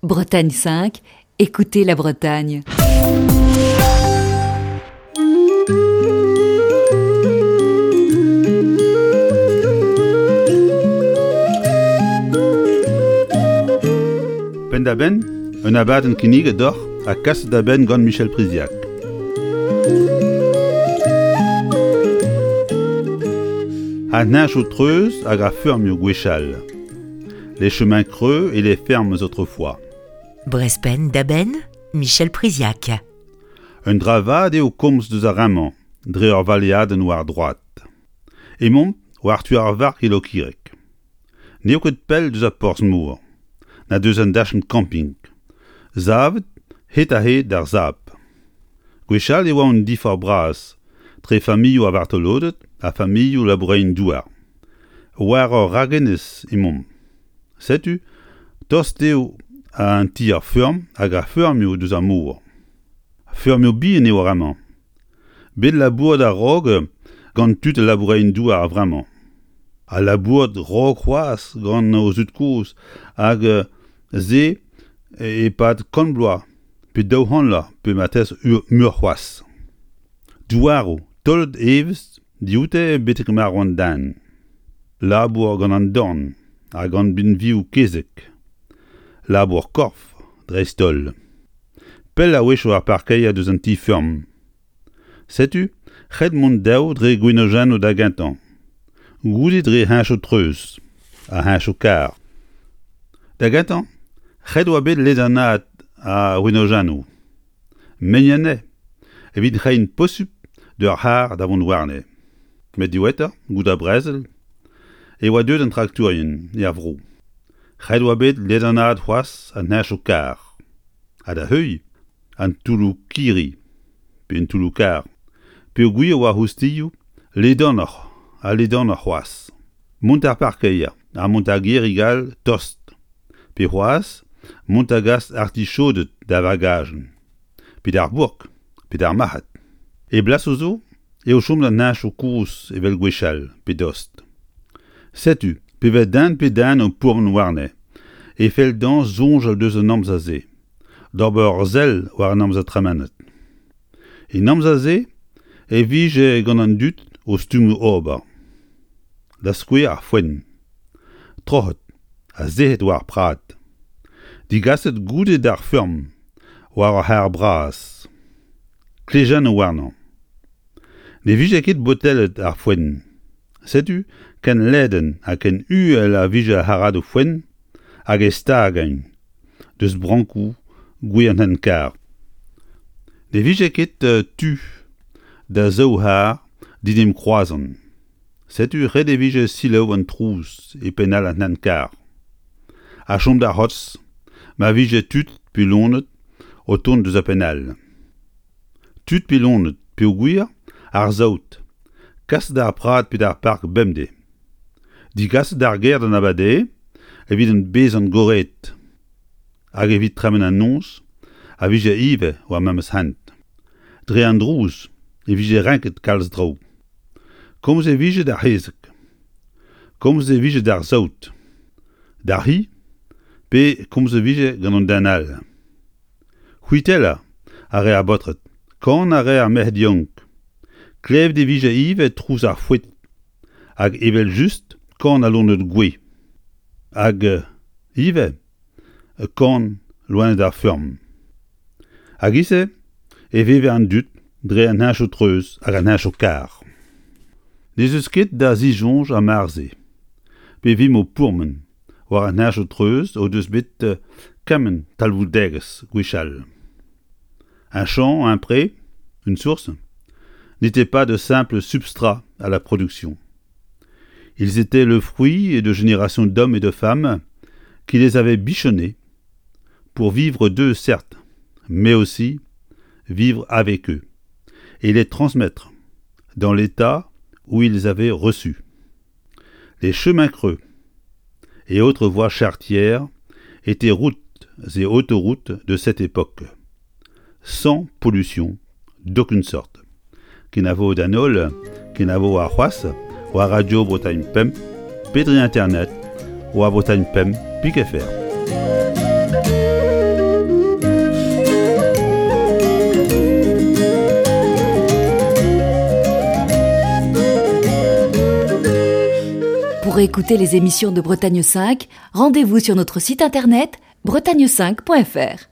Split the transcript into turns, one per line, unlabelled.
Bretagne 5, écoutez la Bretagne.
Penn-da-benn, un abadenn kinniget deoc'h ha kaset da benn gant Michel Priziac. An heñchoù treuz hag ar feurmioù gwechall. Les chemins creux et les fermes autrefois.
Brezpenn da benn, Michel Priziac.
Un dra vat eo komz deus ar re-mañ dre ur valeadenn war droad. Emaomp war tu ar vark e Lokireg. N'eo ket pell deus ar porzh-mor, na deus an dachenn camping, savet hed-ha-hed d'ar sab. Gwechall e oa un diforc'h bras tre familhoù ar vartoloded ha familhoù labourerien-douar. War ur ragenez emaomp. Setu, tost eo an ti ar feurm hag ar feurmioù deus ar mor. Feurmioù bihan eo ar re-mañ. Bet labouret a-raok gant tud labourerien-douar a-vremañ. Ha labouret 'raok c'hoazh gant o zud-kozh hag se e-pad kant bloaz pe 200 vloaz pe marteze muioc'h c'hoazh. Douaroù taolet evezh dioute betek marv an den. Labour gant an dorn ha gant binvioù kezeg. Labour korf dreist-holl. Pell a-wechoù ar parkeier deus an ti-feurm. Setu ret mont dav dre gwenojennoù da gentañ, goude dre heñchoù-treuz ha heñchoù-karr. Da gentañ, ret oa bet ledanaat ar wenojennoù. Meiñ anezhe evit reiñ posupl d'ur c'harr da vont warne. Met diwezhatoc'h, goude ar brezel, e oa deuet an traktourien er vro. Ret oa bet ledanaat c'hoazh an heñchoù-karr. Ha da heuilh an toulloù-kirri pe an toulloù-karr peogwir e oa oustilhoù ledanoc'h ha ledanoc'h c'hoazh. Mont d'ar parkeier ha mont d'ar gêrig all tost pe c'hoazh mont da gas artichoded da vagajenn pe d'ar bourk pe d'ar marc'had. E blasoù zo eo chomet an heñchoù kozh evel gwechall pe dost. Setu pe vez den pe den o pourmen warne e fell dezhañ soñjal deus an amzer-se, d'ober ur sell war an amzer tremenet. En amzer-se e vije gant an dud o stummoù ober. Da skouer ar foenn. Troc'het ha sec'het war ar prad. Digaset goude d'ar feurm war ur c'harr bras. Klejennoù warnañ. Ne vije ket botellet ar foenn. Setu ken ledan ha ken uhel a vije ar c'harradoù foenn hag e stagaint deus brankoù gwez an hent-karr. Ne vije ket tu da zaou c'harr d'en em kroazan. Setu ret e vije selaou an trouz e penn all an hent-karr. Ha chom da c'hortoz ma vije tud pe loened o tont deus ar penn all. Tud pe loened peogwir ar saout kaset d'ar prad pe d'ar park bemdez. Digaset d'ar gêr d'an abardaez evit bezañ gorreet hag evit tremen an noz a vije ivez war memes hent. Dre an drouz e vije renket kalz traoù. Komz e vije d'ar c'hezeg. Komz e vije d'ar saout, d'ar c'hi pe komz e vije gant an den all. C'hwitellañ a rae ar baotred, kanañ a rae ar merc'hed yaouank. Klevet e vije ivez trouz ar foet hag evel-just kan al loened gouez. Hag ivez kan loened ar feurm. Hag e-se e veve an dud dre an heñchoù-treuz hag an heñchoù-karr. N'ez eus ket da zisoñj ar mar-se, pe vimp o pourmen war an heñchoù-treuz o deus bet kement talvoudegezh gwechall. Un champ, un pré, une source, n'étaient pas de simples substrats à la production. Ils étaient le fruit de générations d'hommes et de femmes qui les avaient bichonnés pour vivre d'eux, certes, mais aussi vivre avec eux et les transmettre dans l'état où ils avaient reçu. Les chemins creux et autres voies charretières étaient routes et autoroutes de cette époque, sans pollution d'aucune sorte. Kenavo d'an holl, kenavo arc'hoazh war Radio Bretagne Pemp pe dre internet war Bretagne Pemp pik fr.
Pour écouter les émissions de Bretagne 5, rendez-vous sur notre site internet bretagne5.fr.